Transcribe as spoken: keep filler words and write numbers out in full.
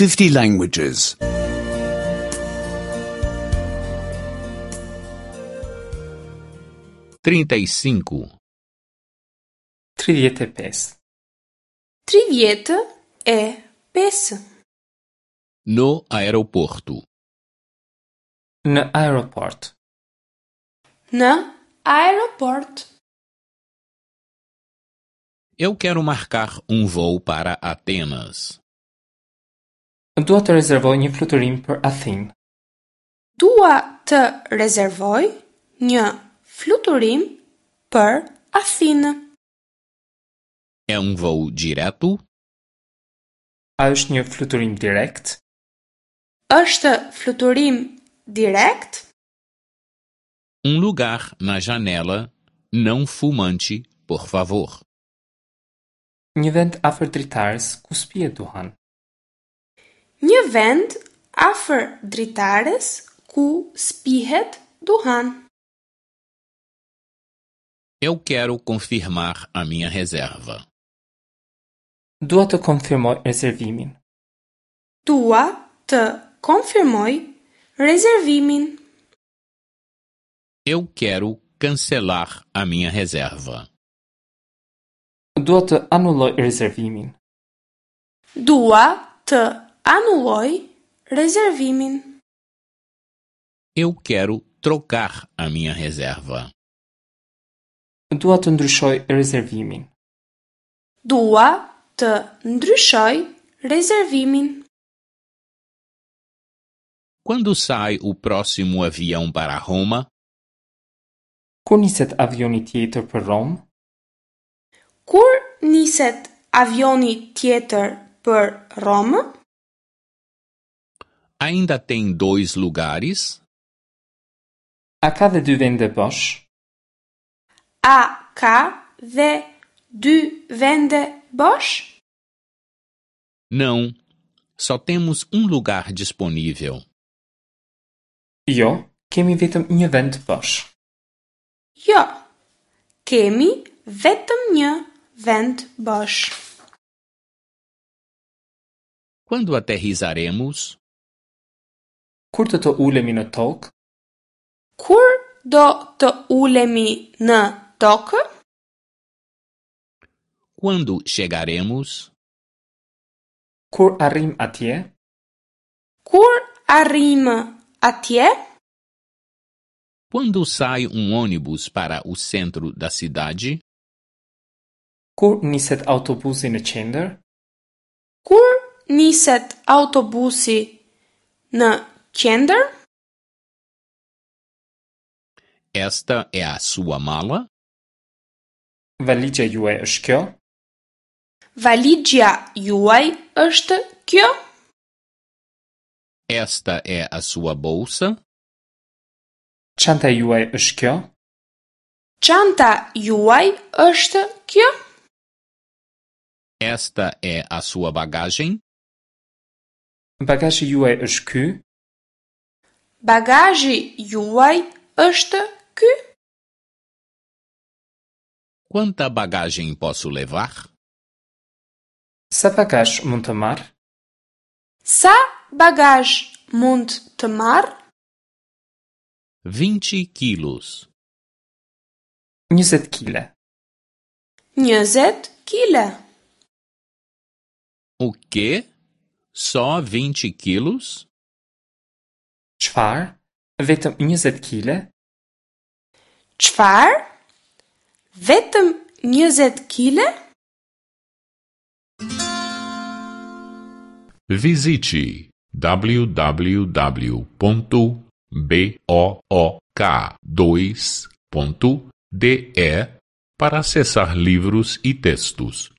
fifty languages. Trinta e cinco, Tridhjetë e pesë. Tridhjetë e pesë. No aeroporto. Në aeroport. Në aeroport. Eu quero marcar um voo para Atenas. Dua të rezervoj një fluturim për Athinë. Dua të rezervoj një fluturim për Athinë. É um voo direto? A është një fluturim direkt? Është fluturim direkt? Um lugar na janela não fumante, por favor. Një vend afër dritares ku s'pihet duhan. Një vend afër dritares ku s'pihet duhan. Eu quero confirmar a minha reserva. Dua të konfirmoj rezervimin. Dua të konfirmoj rezervimin. Eu quero cancelar a minha reserva. Dua të anulloj rezervimin. Dua të anulloj rezervimin. Eu quero trocar a minha reserva. Dua të ndryshoj rezervimin. Dua të ndryshoj rezervimin. Quando sai o próximo avião para Roma? Kur niset avioni tjetër për Romë? Kur niset avioni tjetër për Romë? Ainda tem dois lugares? A ka dhe dy vende bosh? A ka dhe dy vende bosh? Não, só temos um lugar disponível. Jo, kemi vetëm një vend bosh. Jo, kemi vetëm një vend bosh. Quando aterrissaremos? Kur do të ulemi në tokë? Kur do të ulemi në tokë? Quando chegaremos? Kur arrim atje? Kur arrim atje? Quando sai um ônibus para o centro da cidade? Kur niset autobusi në qendër? Kur niset autobusi në qendër? Esta é a sua mala? Valixha juaj është kjo? Valixha juaj është kjo? Esta é a sua bolsa? Çanta juaj është kjo? Çanta juaj është kjo? Esta é a sua bagagem? Bagazhi juaj është ky? Bagazhi juaj është ky? Quanta bagagem posso levar? Sa bagazh mund të marr? Sa bagazh mund të marr? Vinte quilos. Njëzet kile. Njëzet kile. O quê? Só vinte quilos? Çfarë? Vetëm njëzet kile? Çfarë? Vetëm njëzet kile? Visite w w w ponto b o o k dois ponto d e para acessar livros e textos.